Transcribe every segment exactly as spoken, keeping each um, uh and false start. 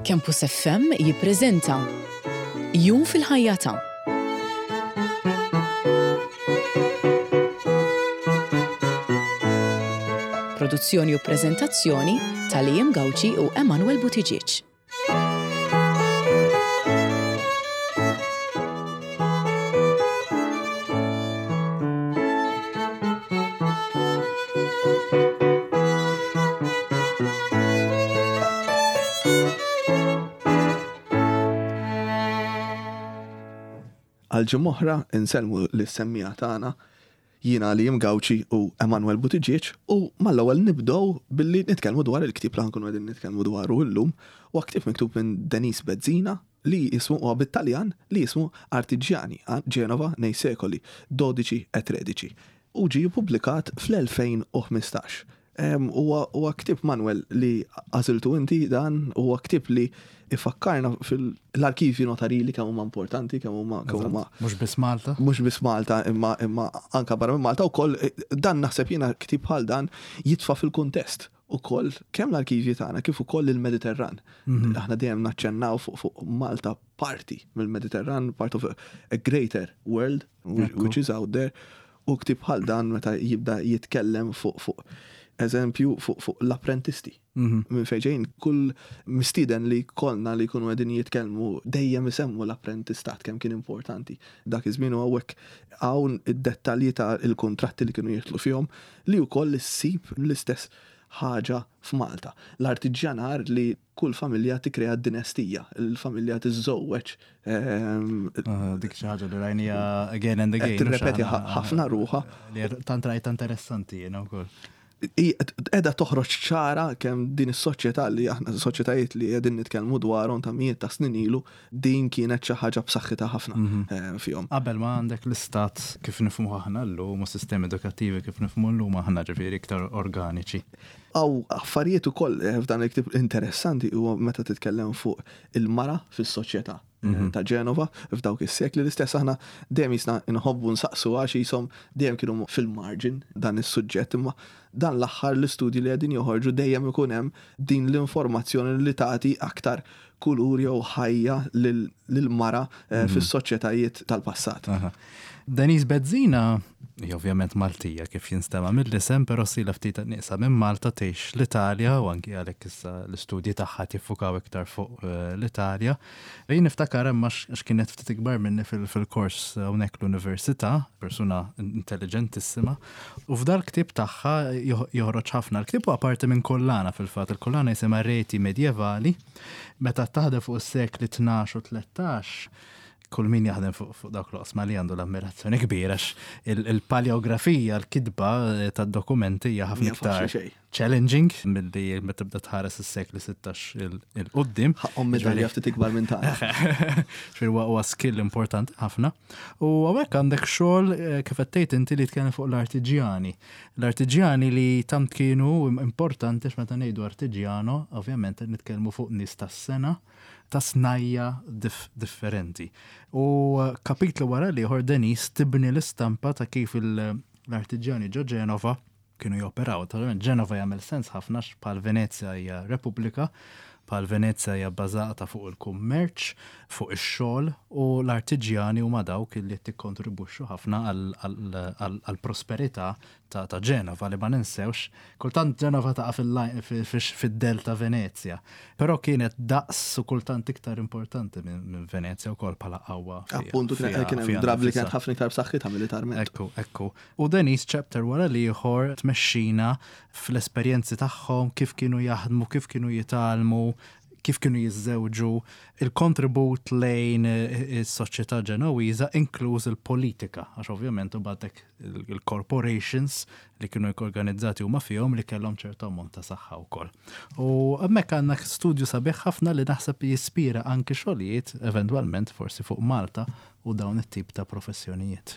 Campus F M jippreżenta Jum fil-ħajja ta' Produzzjoni u preżentazzjoni ta' Liam Gauci u Emanuel Buttigieg. Għal ġimgħa oħra insellmu lis-semmiegħa tagħna, jiena Liam Gauci u Emanuel Buttigieg, u mal-ewwel nibdew billi nitkellmu dwar il-ktieb li ħankunu qegħdin nitkellmu dwaru llum. Huwa ktieb miktub minn Denise Bezzina li jismu, huwa bit-Taljan, li jismu Artigiani a Genova nei secoli dodici e tredici u ġie ppubblikat fl-elfejn u ħmistax. Huwa huwa ktieb, Manuel, li għażiltu inti. Dan huwa ktieb li ifakkarna fil-arkivji notarili, kemm huma importanti, kemm huma kemm huma Mhux biss Malta. Mhux biss Malta, imma imma anka barra minn Malta wkoll. Dan naħseb jiena ktieb bħal dan jitfa' fil-kuntest ukoll kemm l-arkivji tagħna kif ukoll il-Mediterran. Aħna dejjem naċċennaw fuq fuq Malta parti mill-Mediterran, part of a, a greater world which is out there. U ktieb bħal dan meta jibda jitkellem fuq fuq eżempju fuq fuq l-apprentisti. Minn fejn kull mistieden li kollna li jkunu qegħdin jitkellmu dejjem isemmu l-apprentistat, kemm kien importanti. Dak iż-żmien, u hawnhekk hawn id-dettalji ta' il-kontratti li kienu jidħlu fihom, li wkoll issib l-istess ħaġa f'Malta. L-artiġjanar, li kull familja tikkrea dinastija, il-familja tiżżewweġ. ehm, Ah, dik xi ħaġa li rajnija again and again. Tirrepeti ħafna ruħha. Li tant rajta interessanti jiena wkoll. Edha toħroġ ċara kemm din is-soċjetà li aħna, soċjetajiet li qegħdin nitkellmu dwarhom ta' mijiet ta' snin ilu, din kienet xi ħaġa b'saħħitha ħafna eh, fihom. Qabel ma għandek l-istat kif nifhmu aħna llum u sistemi edukattivi kif nifhmu llum aħna, ġifieri iktar organiċi. Hawn affarijiet ukoll eh, f'dan il-ktieb interessanti, huwa meta titkellem fuq il-mara fis-soċjetà eh, ta' Ġenova f'dawk is-sekli. L-istess aħna dejjem jisna nħobbu nsaqsu għax jisom dejjem kienu fil-margin dan is-suġġett, imma dan l-aħħar l-istudji li qegħdin joħorġu dejjem ikun hemm din l-informazzjoni li tagħti aktar kulur jew ħajja lil-mara eh, fis-soċjetajiet tal-passat. Aha. Denise Bezzina hi ovvjament Maltija kif jinstema mill-isem, però ilha ftit nieqsa minn Malta, tgħix l-Italja u anki għalhekk issa l-istudji tagħha tiffukaw iktar fuq eh, l-Italja. Jien niftakar hemm għax kienet ftit ikbar minni fil- fil-kors hawnhekk l-università, persuna intelligentissima, u f'dal ktieb tagħha joħ- joħroġ ħafna. L-ktieb huwa parti minn kollana fil-fatt, il-kollana jisimha Reti Medievali, meta taħdem fuq is-sekli tnax u tlettax, kull min jaħdem fuq fuq dawk l-oqsma li għandu l-ammirazzjoni kbira għax il- il-paleografija, l-kitba eh, tad-dokumenti hija ħafna Mhija faċli iktar xejn. challenging milli meta tibda tħares is-sekli sittax 'il quddiem. Ħaqhom medalja ftit ikbar minn tagħna. Ġifieri huwa huwa skill importanti ħafna. U hawnhekk għandek xogħol eh, kif qed tgħid inti li tkellem fuq l-artiġjani. L-artiġjani li tant kienu importanti, għax meta ngħidu artiġjano, ovvjament qed nitkellmu fuq nies tas-sengħa, ta' snajja dif differenti. U eh, kapitlu wara l-ieħor Denise tibni l-istampa ta' kif il- l-artiġjani ġo Ġenova kienu joperaw. Naturalment Ġenova jagħmel sens ħafna għax bħal Venezja hija repubblika, bħal Venezja hija bbażata fuq il-kummerċ, fuq ix-xogħol, u l-artiġjani huma dawk li qed tikkontribwixxu ħafna għall-prosperità ta' ta' Ġenova, li ma ninsewx. Kultant Ġenova taqa' fid-dell ta' Venezja, però kienet daqs u kultant iktar importanti minn minn Venezja wkoll bħala qawwa. Appuntu, kien fiha- kien hemm fiha drabi li nfisha. kienet ħafna iktar b'saħħitha militarment. Ekku, ekku. U Denise chapter wara l-ieħor tmexxina fl-esperjenzi tagħhom, kif kienu jaħdmu, kif kienu jitgħallmu, kif kienu jiżżewġu, il-kontribut lejn eh, is-soċjetà Ġenowiża, inkluż il-politika, għax ovvjament u il-corporations li kienu organizzati huma fihom li kellhom ċertu ammont ta' saħħa wkoll. U hemmhekk għandna studju sabiħ ħafna li naħseb jispira anki xogħlijiet eventwalment forsi fuq Malta u dawn it-tip ta' professjonijiet.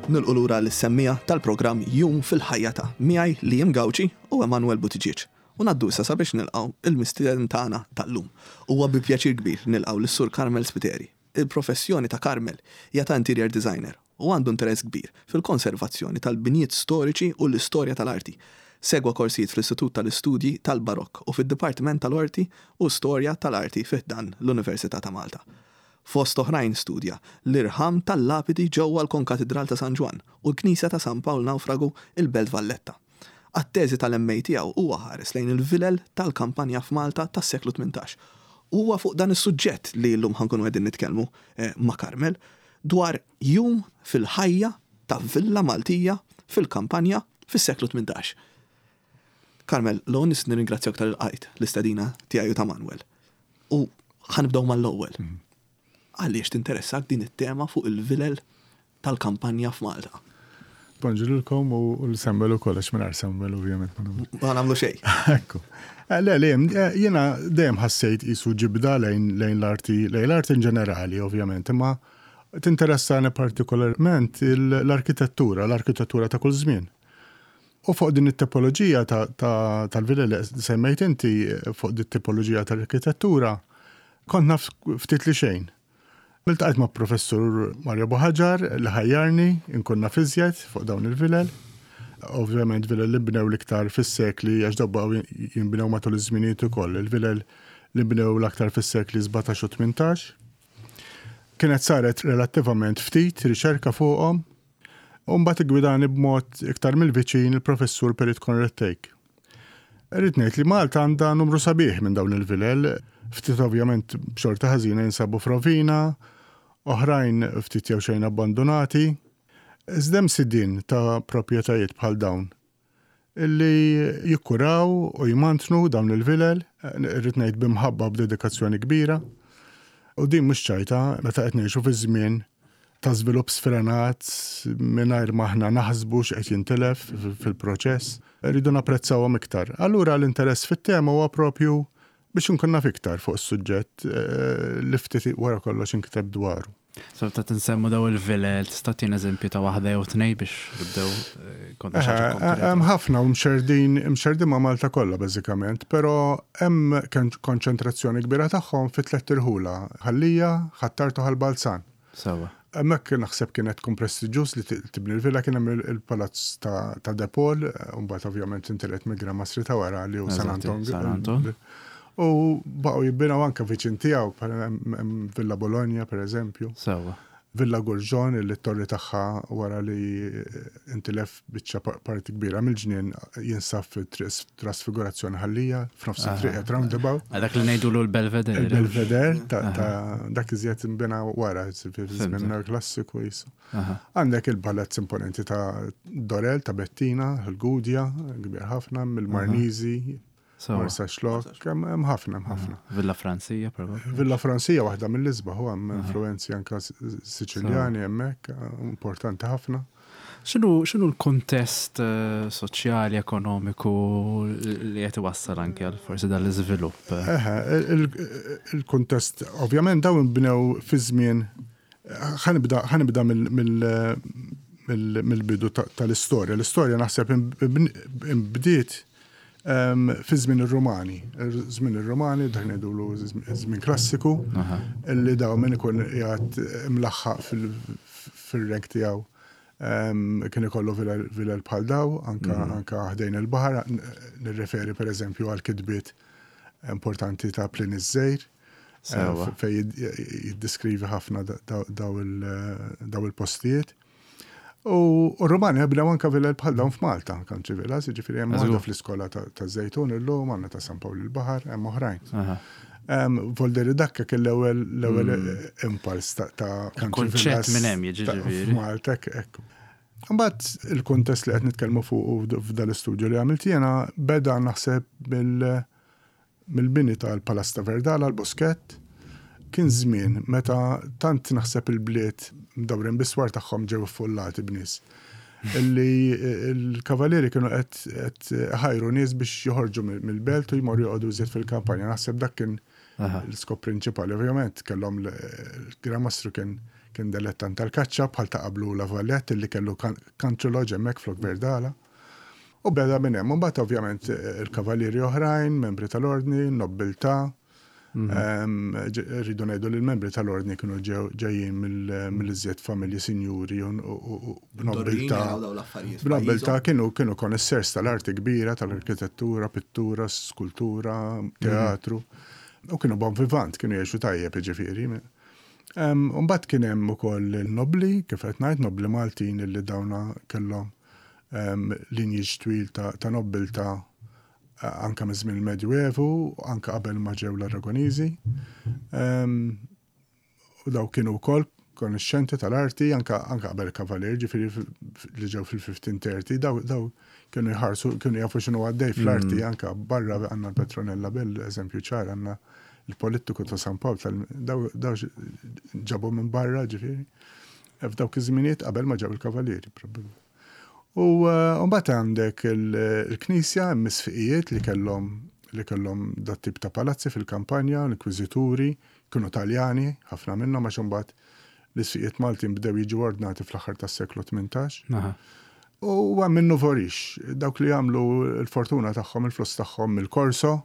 Nilqgħu lura lis-semmiegħa tal-programm Jum fil-ħajja ta' miegħi Liam Gauci u Emanuel Buttigieg. U ngħaddu issa sabiex nilqgħu il-mistieden tagħna tal-lum. Huwa bi pjaċir kbir nilqgħu lis-Sur Carmel Spiteri. Il-professjoni ta' Carmel hija ta' interior designer u għandu interess kbir fil-konservazzjoni tal-binjiet storiċi u l-istorja tal-arti. Segwa korsijiet fl-Istitut tal-Istudji tal-Barokk u fid-Dipartiment tal-Arti u Storja tal-Arti fi ħdan l-Università ta' Malta. Fost oħrajn studja l-irħam tal-lapidi ġewwa l-Konkatidral ta' San Ġwann u l-Knisja ta' San Pawl Nawfragu il-Belt Valletta. Għat-teżi tal-M A tiegħu huwa ħares lejn il-vilel tal-kampanja f'Malta tas-seklu tmintax. Huwa fuq dan is-suġġett li llum ħa nkunu qegħdin nitkellmu eh, ma' Carmel dwar jum fil-ħajja ta' villa Maltija fil-kampanja fis-seklu tmintax. Carmel, l-ewwel nett nirringrazzjak talli lqajt l-istedina tiegħi u ta' Manuel. U ħa nibdew mal-ewwel. Għaliex tinteressak din it-tema fuq il-vilel tal-kampanja f'Malta? Bonġu lilkom u l-Samuel u kollox, minn Samuel ovvjament ma nagħmlu. Ma nagħmlu xejn. Ekku. Eh, Le, le, eh, jiena dejjem ħassejt qisu ġibda lejn lejn l-arti, lejn l-arti in ġenerali ovvjament, imma tinteressani partikolarment il- l-arkitettura, l-arkitettura ta' kull żmien. U fuq din it-tipoloġija ta- ta- tal-vilel li semmejt inti, fuq din it-tipoloġija tal-arkitettura, kont naf ftit li xejn. Iltqajt ma' professur Mario Buhagiar li ħajjarni inkun naf iżjed fuq dawn il-vilel. Ovvjament vilel li bnew l-iktar fis-sekli, għax dawn baqgħu jinbnew matul iż-żminijiet ukoll. Il-vilel li bnew l-aktar fis-sekli sbatax u tmintax. Kienet saret relattivament ftit riċerka fuqhom. U mbagħad iggwidani b'mod iktar mill-viċin il-professur Perit Conrad Thake. Irrid ngħid li Malta għandha numru sabiħ minn dawn il-vilel, ftit ovvjament b'xorta ħażina jinsabu f'rovina, oħrajn ftit jew xejn abbandonati. Iżda hemm sidien ta' proprjetajiet bħal dawn illi jikkuraw u jmantnu dawn il-vilel, irrid ngħid b'imħabba, b'dedikazzjoni kbira. U din mhux ċajta meta qed ngħixu fi żmien ta' żvilupp sfrenat mingħajr ma aħna naħsbu x'qed jintilef fil-proċess, rridu napprezzawhom iktar. Allura l-interess fit-tema huwa propju biex inkun naf iktar fuq is-suġġett eh, li ftit wara kollox inkiteb dwaru. So ta' tinsemmu daw il-vilel, tista' tina eżempju ta' waħda jew tnejn biex nibdew eh, konna xi ħaġa Eh, konkreta? Hemm ħafna u mxerdin mxerdin ma' Malta kollha bażikament, però hemm konċentrazzjoni kbira tagħhom fi tliet irħula: Ħal Lija, Ħ'Attard u Ħal Balzan. Sewwa. Hemmhekk naħseb kienet tkun prestiġjuż li tibni l-villa, kien hemm il-palazz ta' ta' De Paul, u mbagħad ovvjament intiret mill-Gran Mastri ta' wara li hu San Eżatti, Anton. San Anton. U baqgħu jibbinaw anke viċin tiegħu, bħal hemm hemm Villa Bologna per eżempju. Sewwa. Villa Gurġon, li t-torri tagħha wara li intilef biċċa pa- parti kbira mill-ġnien jinsab fit-Trasfigurazzjoni Ħal Lija, f'nofs it-triq qed roundabout. Dak li ngħidulu l-Belvedere. Il-Belvedere ta' ta' dak iżjed imbena wara, fi żmien klassiku jisu. Aha. Għandek il-palazz imponenti ta' Dorel, ta' Bettina, il-Gudja, kbir ħafna, mill-Marnizi, Sewwa. Marsaxlokk, hemm hemm ħafna, hemm ħafna. Villa Franzija, probabbli. Villa Franzija waħda mill-isbaħ, u hemm influenzi anka Siċiljani hemmhekk, importanti ħafna. X'inhu x'inhu l-kuntest eh, soċjali, ekonomiku li qed iwassal anke għal forsi dan l-iżvilupp? Eħe, il- il-kuntest, ovvjament dawn bnew fi żmien, ħa nibda ħa nibda mill- mill- mill- mill-bidu ta- tal-istorja. L-istorja naħseb imbdiet em, fi żmien ir-Rumani. Żmien ir-Rumani, dak ngħidulu żmien klassiku, Aha. illi daw min ikun qiegħed imlaħħaq fil- fil-rank tiegħu em, kien ikollu vilel vilel bħal daw, anka, anka ħdejn il-baħar, n- nirreferi per eżempju għal kitbiet importanti ta' Pliny iż-Żgħir, Sewwa. fej jid- jiddeskrivi ħafna da- daw daw il- daw il-postijiet. U u Romani bnew anka vilel bħal dawn f'Malta, country villas, jiġifieri hemm Żgur. waħda fl-iskola ta' ta' Żejtun illum, għandna ta' San Pawl il-Baħar, hemm oħrajn. Aha. Um, Volderi dakka kien l-ewwel l-ewwel impuls ta' ta' country Il-kunċett villas minn hemm jiġi ta' ġifieri. F'Malta, hekk, ekku. Mbagħad il-kuntest li qed nitkellmu fuq f'dal istudju li għamilt jiena beda naħseb mill mill-bini tal-Palazz ta' Verdala, l-Buskett. Kien żmien meta tant naħseb il-bliet mdawrin bis-swar tagħhom ġew affollati b'nies illi il-kavalieri kienu qed qed ħajru nies biex joħorġu mill- mill-belt u jmorru joqogħdu iżjed fil-kampanja. Naħseb dak kien Aha. l-iskop prinċipali. Ovvjament kellhom l-Gran Mastru kien Kien delettant tal-kaċċa bħal ta' qablu La Valette li kellu country lodge hemmhekk flok Verdala. U beda minn hemm, mbagħad ovvjament il-kavallieri oħrajn, membri tal-ordni, nobbiltà. Mhm. Rridu ngħidu li l-membri tal-ordni kienu ġejjin mill-iżjed familji sinjuri u b'nobbiltà. B'nobbiltà kienu kienu connoisseurs tal-arti kbira, tal-arkitettura, pittura, skultura, teatru. U kienu bon vivant, kienu jgħixu tajjeb ġifieri. Mbagħad kien hemm ukoll il-nobli, kif qed ngħid, nobli Maltin illi dawna kellhom lineage twil ta' nobbiltà anka minn żmien il-Medjuevu, anka qabel ma ġew l-Aragoniżi. U daw kienu wkoll konoxxenti tal-arti, anka anka qabel kavalier, ġifieri li ġew fil-fifteen thirty, daw daw kienu jħarsu, kienu jafu x'inhu għaddej fl-arti, anka barra għandna l-Petronella Bell, eżempju ċar, għandna il-polittiku ta' San Pawl, daw daw ġabu minn barra, ġifieri. F'dawk iż-żminijiet qabel ma ġew il-kavalieri, probabbli. U mbagħad għandek il-Knisja, misfiqijiet li kellhom li kellhom dat tip ta' palazzi fil-kampanja, l-inkwiżituri, kienu Taljani, ħafna minnhom, għax imbagħad l-isfiqijiet Maltin bdew jiġu ordnati fl-aħħar tas-seklu tmintax. U hemm minnu vorix, dawk li jagħmlu l-fortuna tagħhom, il-flus tagħhom mill-korso.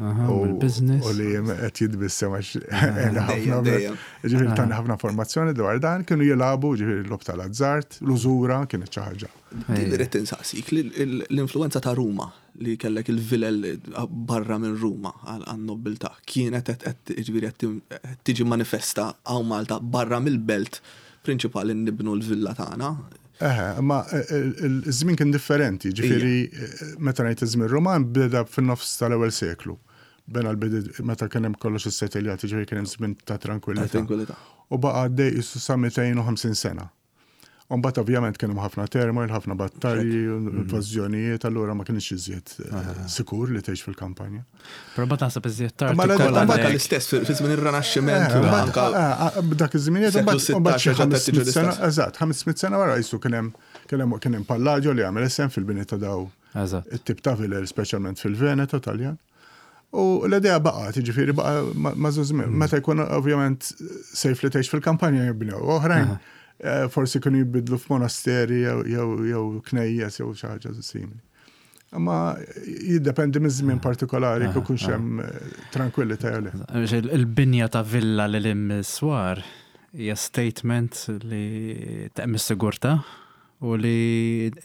U business. U li qed jitbissem għax ħafna, ġifieri tani ħafna informazzjoni dwar dan, kienu jilagħbu ġifieri l-logħob tal-azzart, l-użura kienet xi ħaġa. Din irrid insaqsik, l-influenza ta' Ruma li kellek il-vilel barra minn Ruma għan-nobbiltà kienet qed ġifieri qed tiġi manifesta hawn Malta barra mill-belt prinċipali nibnu l-villa tagħna. Eħe, ma il-żmien kien differenti, ġifieri meta ngħid iż-żmien Roman beda fin-nofs tal-ewwel seklu. Bena l-bidi meta kien hemm kollox is-settljati, ġifieri kien hemm żmien ta' tranquillità. Tranquillità. U baqa' għaddej qisu sa mitejn u ħamsin sena. U mbagħad ovvjament kien hemm ħafna turmoil, ħafna battalji, invażjonijiet, allura ma kienx iżjed sikur li tgħix fil-kampanja. Però mbagħad naħseb iżjed tard. Ma l l-istess fi żmien ir-Rinaxximent. Dak iż-żminijiet mbagħad xi ħames mitt sena, eżatt, ħames mitt sena wara qisu kien hemm kien hemm Palladio li għamel isem fil-bini ta' daw it-tip ta' vilel, speċjalment fil-Veneto Taljan. U l-idea baqgħet, ġifieri baqa' ma' żmien. Meta jkun ovvjament safe li tgħix fil-kampanja jibnew. Oħrajn forsi kienu jibidlu f'monasteri jew knejjes jew xi ħaġa simili. Imma jiddependi minn żmien partikolari kif ikunx hemm tranquillità jew le. Il-binja ta' villa li lim swar hija statement li teqmi s-sigurtà u li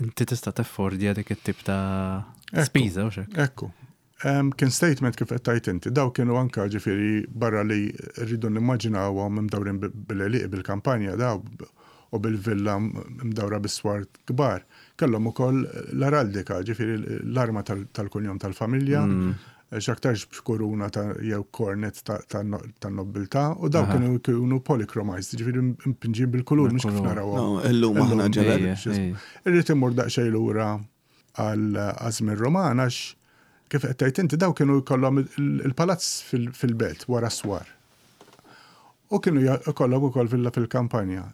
inti tista' teffordja dik it-tip ta' spiża u xek. Ekku. Kien statement kif qed tgħid inti, daw kienu anka ġifieri barra li rridu nimmaġinawhom imdawrin bil-għelieqi bil-kampanja daw u bil-villa mdawra bis-swar kbar. Kellhom ukoll l-araldika, ġifieri l-arma tal-kunjom tal-familja, x'aktarx b'kuruna ta' jew kornet tan-nobbiltà, u daw kienu kienu polychromized, ġifieri mpinġin bil-kulur, mhux kif narawhom. Illum aħna ġebel. Irrid immur daqsxejn lura għal żmien Roman għax kif qed tgħid inti daw kienu jkollhom il-palazz fil-belt wara swar. U kienu jkollhom ukoll villa fil-kampanja.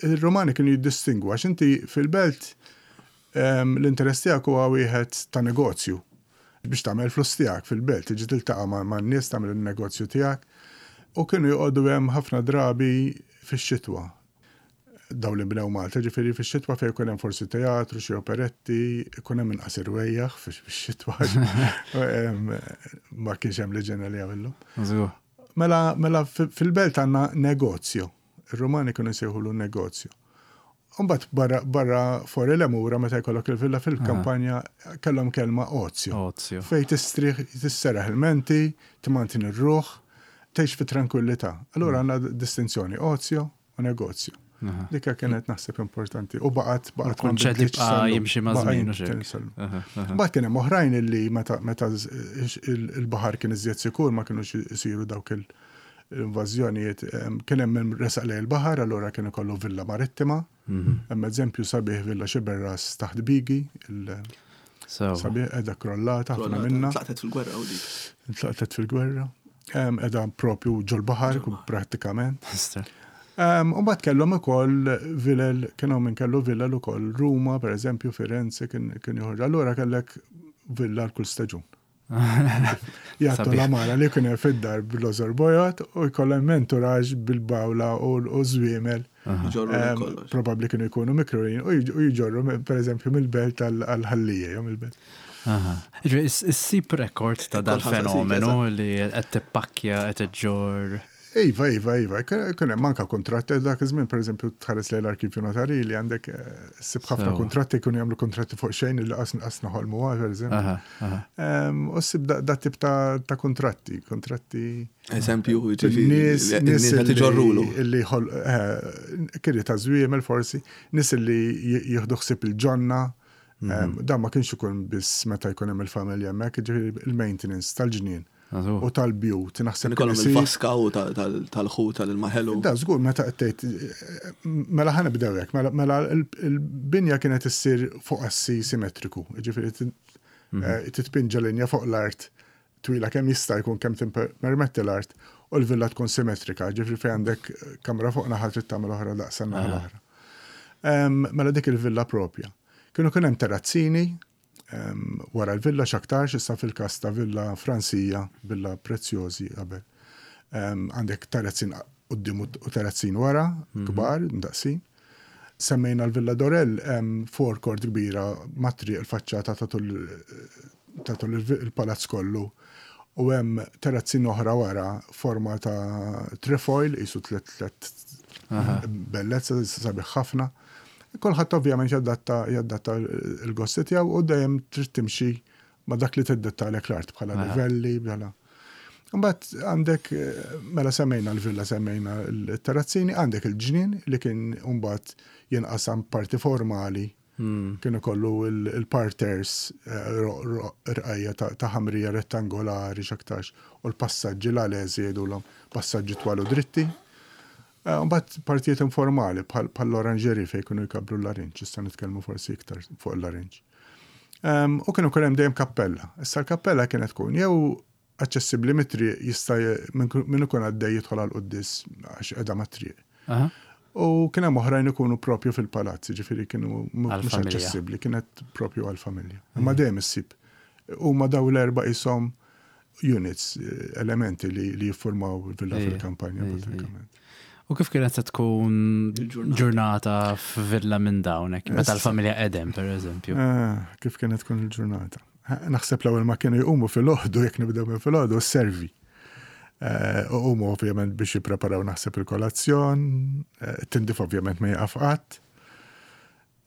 Il-Romani kienu jiddistingwu għax inti fil-belt l-interess tiegħek huwa wieħed ta' negozju biex tagħmel flus tiegħek fil-belt, tiġi tiltaqa' man-nies, tagħmel il-negozju tiegħek. U kienu joqogħdu hemm ħafna drabi fix-xitwa. Daw li bnew Malta, ġifieri fix-xitwa fejn ikun hemm forsi teatru, xi operetti, ikun hemm inqas irwejjaħ fix-xitwa. Ma kienx hemm l-iġene li għamillu. Mela, mela fil-belt għandna negozju. Ir-Rumani kienu jsejħulu negozju. Mbagħad barra, barra fuori le mura meta jkollok il-villa fil-kampanja kellhom kelma ozio. Ozio. Fej tistrieħ, tisserraħ il-menti, timantini r-ruħ, tgħix fi tranquillità. Allura għandna distinzjoni ozio u negozju. Dikka kienet naħseb importanti. U baqgħet baqgħet ma Kunċett nbidlitx jibqa' sal-lum. jimxi ma' Baqa' żmien u jimxi xek. sal-lum. Aha, aha. Mbagħad kien hemm oħrajn illi meta meta il-baħar kien iżjed sikur ma kinux isiru dawk il-invażjonijiet, kien hemm min resaq lejn il-baħar, allura kien ikollu villa marittima. Hemm eżempju sabiħ, Villa Xiberras taħt Bigi, il- So, sabiħ qiegħda krollata ħafna minna. Tlaqtet fil-gwerra u dik. Intlaqtet fil-gwerra. Em, Qiegħda propju ġol-baħar prattikament. Mister. Um, u mbagħad kellhom ukoll vilel, kienu minn kellu vilel ukoll Ruma, per eżempju, Firenze kien kien joħorġ. Allura kellek villa l kull staġun. Jgħattu l-għamara li kien fid-dar bil-lożor bojod u jkollhom entourage bil-bawla u żwiemel. Probabbli kienu jkunu mikrurin u jġorru per eżempju mill-belt għal-Ħal Lija jew mill-belt. Issib rekord ta' dal-fenomenu li qed tippakkja, qed iġġorr. Iva, iva, iva. Kien hemm anka kontratti dak iż-żmien, pereżempju, tħares lejn l-arkivju notarili, għandek eh, ssib ħafna kontratti, kienu jagħmlu kontratti fuq xejn li qas qas noħolmu, pereżempju. U ssib da tip ta' kontratti, kontratti. Eżempju, nies nies li ġorrulu. Li eh, kiri ta' żwiemel forsi, nies li jieħdu ħsieb il-ġonna. Mhm. Dan ma kienx ikun biss meta jkun hemm il-familja hemmhekk, jiġifieri il-maintenance tal-ġnien u tal-bjut. Naħseb ikollhom il-vaska u tal-ħut tal-maħelu. Da, żgur, meta qed mela ħa nibdew hekk, mela, mela il-binja kienet issir fuq assi simmetriku, jiġifieri mhm. eh, titpinġa linja fuq l-art twila kemm jista' jkun, kemm timpermetti l-art, u l-villa tkun simmetrika, ġifieri fejn għandek kamra fuq naħa trid tagħmel oħra daqsa naħa l-oħra. Mela dik il-villa propja. Kienu kien hemm terrazzini wara l-villa x'aktarx, issa fil-każ ta' villa Fransija, villa prezzjożi qabel. Għandek terrazzin quddiem u terrazzin wara, mhm. kbar, ndaqsin. Semmejna l-Villa Dorel, forecourt kbira mat-triq, il-faċċata ta' tul il-palazz kollu. U hemm terrazzin oħra wara, forma ta' trefoil, jisu tlet tlet bellezza, sabiħ ħafna. Kulħadd ovvjament jadatta jadatta l-gosti tiegħu u dejjem trid timxi ma' dak li tiddettalek l-art bħala livelli, bħala. Mbagħad għandek, mela semmejna l-villa, semmejna l-terrazzini, għandek il-ġnien li kien mbagħad jinqasam parti formali. Hmm. Kienu kollu il-parterres, eh, rqajja ta' ħamrija rettangolari x'aktarx, u l-passaġġi l-ależi jgħidulhom, passaġġi twal u dritti. Eh, mbagħad partijiet informali bħall-oranġeri fejn kienu jkabru l-larinġ, issa nitkellmu forsi iktar fuq il-larinġ. U kienu kien hemm dejjem kappella. Issa l-kappella kienet tkun jew aċċessibbli mit-triq, jista' min ikun għaddej jidħol għal quddies għax qiegħda mat-triq. U kien hemm oħrajn ikunu propju fil-palazzi, ġifieri kienu mhux aċċessibbli, kienet propju għall-familja. Imma dejjem issib. Huma daw l-erba' ishom units, elementi li, li jiffurmaw villa fil-kampanja pratikament. U kif kienet se tkun ġurnata f'villa minn dawn, meta l-familja edem, per eżempju? Ah, kif kienet tkun il-ġurnata? Naħseb l-ewwel ma kienu jqumu fil-ħodu, jekk nibdew minn fil-ħodu, servi. Eh, umu ovvjament biex jippreparaw naħseb il-kolazzjon, eh, tindif ovvjament ma jaqaf qatt.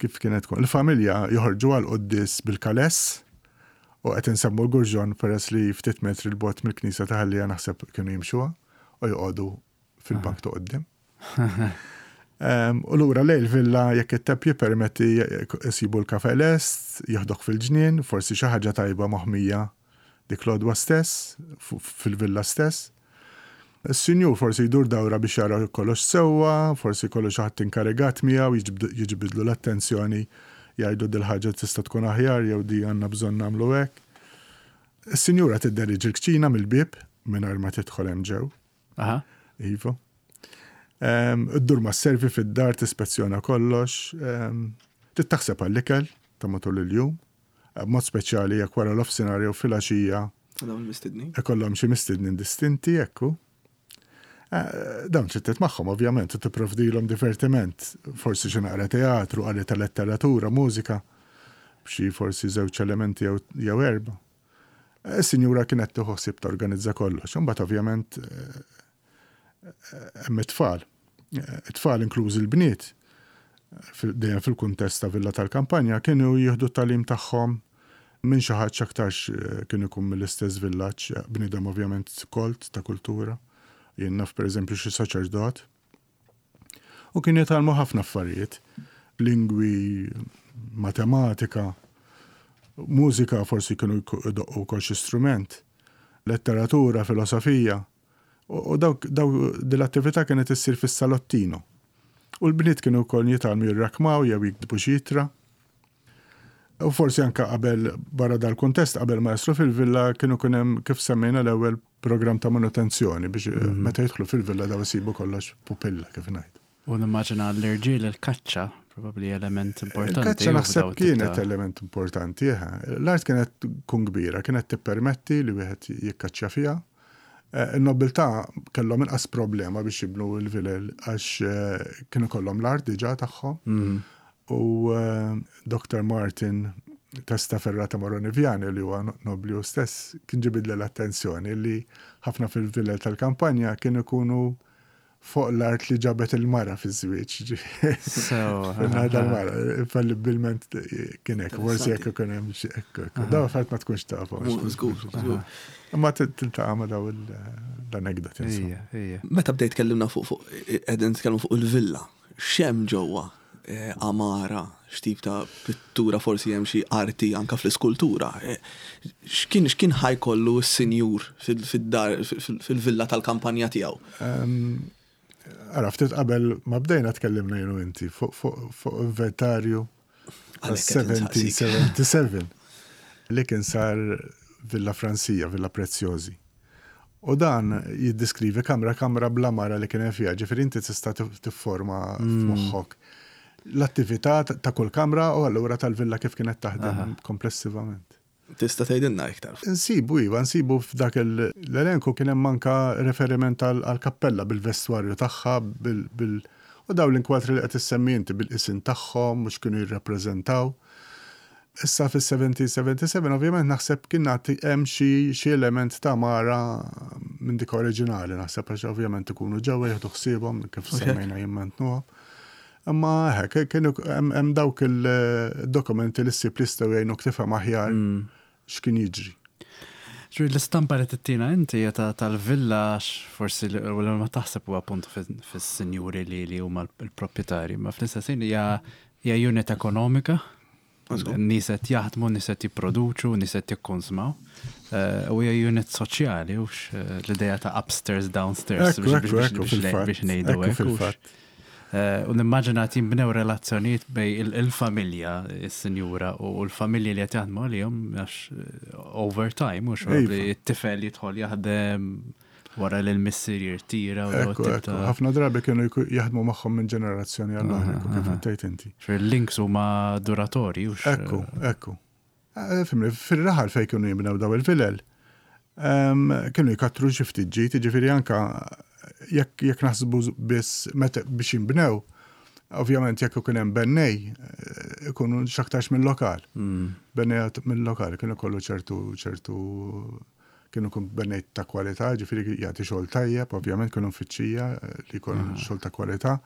Kif kienet tkun? Il-familja joħorġu għal quddies bil-kaless u qed insemmu l-Gurġon peress li ftit metri 'l bogħod mill-knisja ta' Ħal Lija, naħseb kienu jimxuha u joqogħdu fil-bank ta' quddiem. U lura lejn il-villa, jekk it-temp jippermetti, jsibu l-kafe lest, jieħdok fil-ġnien, forsi xi ħaġa tajba moħmija dik l-għodwa stess, fil-villa stess. Is-sinjur forsi jdur dawra biex jara kollox sewwa, forsi kollu xi ħadd inkarigat miegħu jiġbidlu l-attenzjoni, jgħidu dil-ħaġa tista' tkun aħjar jew di għandna bżonn nagħmlu hekk. Is-sinjura tidderiġi l-kċina mill-bieb mingħajr ma tidħol hemm ġew. Iva. Iddur ma' servi fid-dar, tispezzjona kollox, tittaħseb għall-ikel ta' matul il-jum, b'mod speċjali jekk wara l-offsinhar jew filgħaxija. Dawn il-mistednin. Ikollhom xi mistednin distinti, ekku. Eh, dawn trid magħhom ovvjament u tipprovdilhom divertiment, forsi xi naqra teatru, qari ta' letteratura, mużika, b'xi forsi żewġ elementi jew erba'. Is-sinjura kienet tieħu ħsieb torganizza kollox, imbagħad ovvjament eh, hemm it-tfal. It-tfal, inklużi l-bniet, dejjem fil-kuntest ta' villa tal-kampanja, kienu jieħdu t-tagħlim tagħhom minn xi ħadd x'aktarx eh, kien ikun mill-istess villaġġ, bniedem ovvjament kolt ta' kultura. Jien naf, pereżempju, xi saċerdot. U kien jitgħallmu ħafna affarijiet, lingwi, matematika, mużika, forsi kienu jdoqqu wkoll xi strument, letteratura, filosofija. U dawk dil-attività kienet issir fis-salottino. U l-bniet kienu wkoll jitgħallmu jirrakmaw jew jiktbu xi ittra. U forsi anka qabel, barra dal-kuntest, qabel ma jaslu fil-villa kienu kien hemm, kif semmejna l-ewwel, programm ta' manutenzjoni biex mhm. meta jidħlu fil-villa daw isibu kollox pupilla, kif ngħid. U nimmaġina l-irġiel il-kaċċa, Probabbli element importanti. Il-kaċċa naħseb kienet element importanti. L-art kienet tkun kbira, kienet tippermetti li wieħed jikkaċċja fiha. Il-nobiltà kellhom inqas problema biex jibnu l-vilel għax kienu kollhom l-art diġà tagħhom. U Doctor Martin Testaferrata Moroni Viani, li huwa nobli hu stess, kien ġibidli l-attenzjoni li ħafna fil-vilel tal-kampanja kienu ikunu fuq l-art li ġabet il-mara fi żwieġ. L-mara, infallibilment kien hekk, forsi jekk ikun hemm xi hekk. Daw affarijiet ma tkunx tafhom. Żgur, żgur. Imma tiltaqa' ma' daw l-anekdoti. Meta bdejt tkellimna fuq fuq qegħdin nitkellmu fuq il-villa, x'hemm ġewwa? Amara, x'tip ta' pittura, forsi hemm xi arti anka fl-iskultura. X'kien x'kien ħajkollu s-sinjur fid-dar fil-villa tal-kampanja tiegħu? Ara, ftit qabel ma bdejna tkellimna jien u inti fuq inventarju seventeen seventy-seven li kien sar Villa Francia, Villa Preziosi. U dan jiddiskrivi kamra kamra bl-għamara li kien hemm fiha, ġifieri inti tista' tifforma f'moħħok l-attività ta' kull kamra u allura tal-villa kif kienet taħdem komplessivament. Tista' tgħidilna iktar? Nsibu, iva, nsibu f'dak l-elenku kien hemm anka referiment għall-kappella bil-vestwarju tagħha, bil u daw l-inkwatri li qed issemmi inti bil-isin tagħhom mhux kienu jirrappreżentaw. Issa fis-seventeen seventy-seven ovvjament naħseb kien nagħti hemm xi element ta' mara minn dik oriġinali, naħseb għax ovvjament ikunu ġewwa jieħdu ħsiebhom kif semmejna jimmantnuhom. Imma hekk kienu hemm dawk il-dokumenti li ssib li jistgħu jgħinuk tifhem aħjar x'kien jiġri. Ġuri, l-istampa li tittina inti hija tal-villa, forsi l ma taħseb huwa appuntu fis-sinjuri li huma l-proprjetarji, ma fl-istess ħin hija unit ekonomika. Nies qed jaħdmu, nies qed jipproduċu, nies qed jikkonsmaw. U hija unit soċjali, hux l-idea ta' upstairs, downstairs, biex ngħidu hekk. U nimmaġina qed jinbnew relazzjonijiet bejn il-familja, is-sinjura, u l-familji li qed jaħdmu għalihom għax over time, mhux it-tifel jidħol jaħdem wara li l-missier jirtira. Ħafna drabi kienu jaħdmu magħhom minn ġenerazzjoni għall oħra, kif tgħid inti. Fil-links huma duratorji, hux? Ekku, ekku. Fimni, fil-raħal fejn kienu jibnew daw il-vilel, kienu jkattru xi ftit ġid, jiġifieri anka jekk jekk naħsbu biss meta biex jinbnew, ovvjament jekk ikun hemm bennej, ikunu x'aktarx mill-lokal. Bennej mill-lokal kienu kollu ċertu ċertu kienu kun bennej ta' kwalità, ġifieri jagħti xogħol tajjeb, ovvjament kienu mfittxija li jkun xogħol ta' kwalità.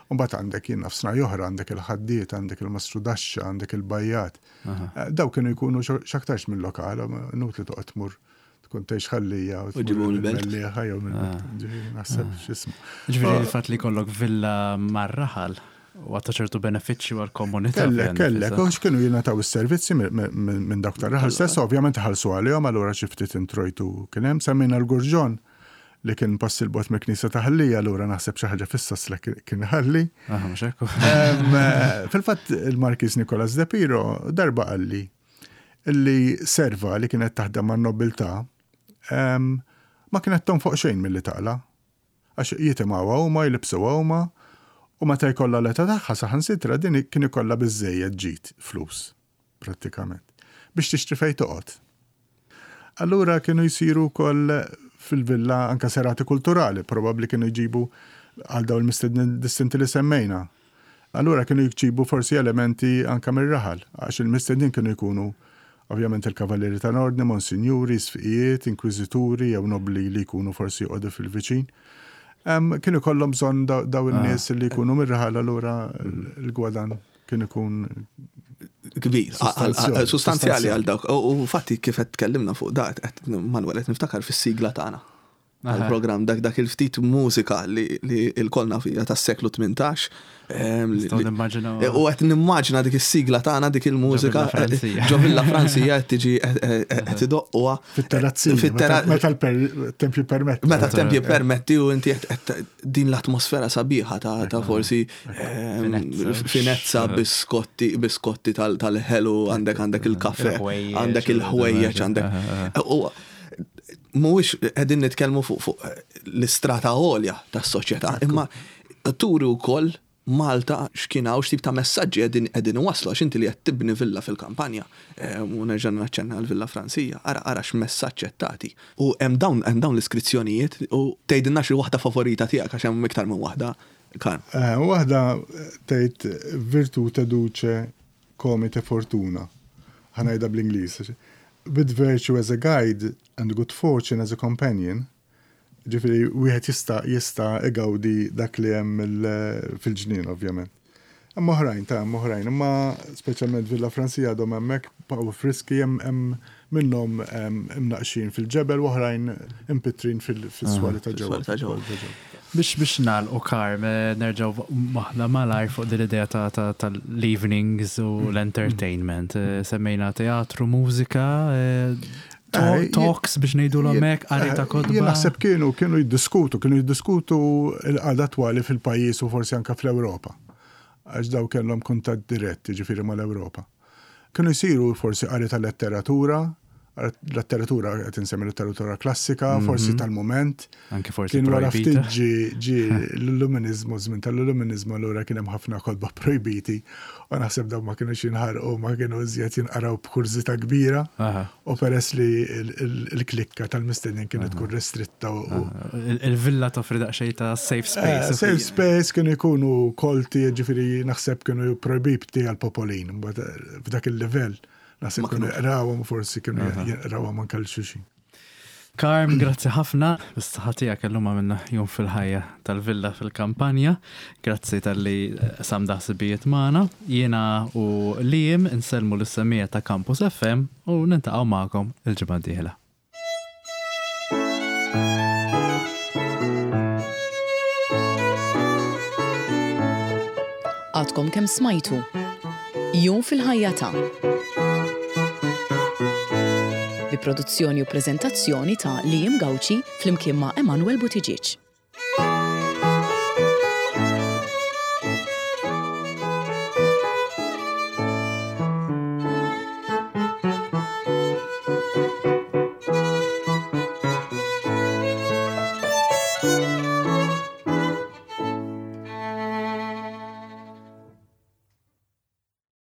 U mbagħad għandek jien naf sena oħra, għandek il-ħaddiet, għandek il-mastrudaxxa, għandek il-bajjat. Daw kienu jkunu x'aktarx mill-lokal, inutli toqgħod tmur tkun tgħix ħallija u ġibu mill-belt. Mellieħa jew mill-belt. Naħseb x'ismu. Ġifieri il-fatt li jkollok villa mar-raħal u għata ċertu benefiċċju għall-komunità. Kellek, kellek, u x'kienu jingħataw is-servizzi minn dawk tar-raħal stess, ovvjament ħallsu għalihom, allura xi ftit introjtu kien hemm. Semmejna l-Gurġon li kien pass il-bot mill-Knisja ta' Ħallija, allura naħseb xi ħaġa fis-sasla kien ħalli. Fil-fatt il-Markiż Nicolas De Piro darba qalli li serva li kienet taħdem man-nobiltà ma kienet tonfoq xejn milli taqla. Għax jitimgħuha huma, jlibsuha huma, u meta jkollha l-età tagħha saħansitra din kien ikollha biżżejjed ġid flus prattikament biex tixtri fejn toqgħod. Allura kienu jsiru wkoll fil-villa anka serati kulturali, probabbli kienu jġibu għal dawn il-mistednin distinti li semmejna. Allura kienu jġibu forsi elementi anka mir-raħal, għax il-mistednin kienu jkunu ovvjament il-kavallieri tal-ordni, monsinjuri, sfiqijiet, inkwiżituri jew nobli li jkunu forsi joqogħdu fil-viċin. Kienu kollhom bżonn daw in-nies li jkunu mir-raħal, allura l-gwadan kien ikun kbir, sostanzjali għal dawk. U fatti kif qed tkellimna fuq dak, qed Manuel qed niftakar fis-sigla tagħna. Għal-programm dak dak il-ftit mużika li l-kolna fija tas-seklu tmintax. U qed nimmaġina dik is-sigla tagħna, dik il-mużika ġo Villa Francia qed tiġi qed idoqquha. Fit-terrazzina. Meta l-temp jippermetti. Meta t-temp jippermetti u inti qed din l-atmosfera sabiħa ta' forsi finezza, biskotti, biskotti tal-ħelu, għandek għandek il-kafe, għandek il-ħwejjeġ, għandek. Mhuwiex qegħdin nitkellmu fuq fuq l-istrata għolja tas-soċjetà, imma turi wkoll Malta x'kien hawn, x'tip ta' messaġġi qegħdin qegħdin iwasslu, għax inti li qed tibni villa fil-kampanja, eh, u nerġa' naċċenna l-Villa Fransija, ara ara x'messaġġ qed tagħti. U hemm dawn hemm dawn l-iskrizzjonijiet u tgħidilna xi waħda favorita tiegħek, għax hemm iktar minn waħda. Karm. Eh, waħda tgħid "Virtute duce comite fortuna". Ħa ngħidha bl-Ingliż. "With virtue as a guide and good fortune as a companion", ġifieri, wieħed jista' jista' igawdi dak li hemm il- fil-ġnien, ovvjament. Hemm oħrajn, ta' hemm oħrajn, imma speċjalment Villa Fransija għadhom hemmhekk baqgħu friski, hemm hemm minnhom imnaqxin fil-ġebel u oħrajn impittrin fil-swali ta' ġewwa. Fis-swali ta' ġewwa. Biex biex nagħlqu, Karm, eh, nerġgħu waħda malajr fuq din l-idea ta' ta' tal-evenings u l-entertainment. Eh, Semmejna teatru, mużika, eh, to- Eh, talks biex ngħidu l-omek, qari ta' Jien kotba. naħseb kienu kienu jiddiskutu, kienu jiddiskutu l-qagħda attwali fil-pajjiż u forsi anka fl-Ewropa. Għax daw kellhom kuntatt dirett, ġifieri, mal-Ewropa. Kienu jsiru forsi qari ta' letteratura, letteratura, qed insemmi letteratura klassika, forsi tal-moment. Anke forsi Kien wara projbita. ftit ġi ġi l-illuminizmu, żmien tal-illuminizmu, allura kien hemm ħafna kotba projbiti u naħseb dawn ma kienux jinħarqu, ma kienu iżjed jinqaraw b'kurżità kbira. Aha. U peress li il- il- il-klikka tal-mistednin kienet tkun restritta u Il- Il-villa toffri daqsxejn ta' safe Eh, space. Safe space, kienu jkunu kolti, ġifieri naħseb kienu projbiti għal-popolin, mbagħad, eh, f'dak il-livell naħseb Ma kienu kinux. jaqrawhom, forsi kienu jaqrawhom anke l-xuxin. Karm, grazzi ħafna. Bis-saħħa tiegħek illum għamilna jum fil-ħajja tal-villa fil-kampanja. Grazzi talli qsamt ħsibijiet magħna. Jiena u Liam insellmu lis-semmiegħa ta' Campus F M u niltaqgħu magħkom il-ġimgħa d-dieħla. Għadkom kemm smajtu Jum fil-ħajja ta' bi produzzjoni u prezentazzjoni ta' Liam Gauci flimkien ma' Emanuel Buttigieg.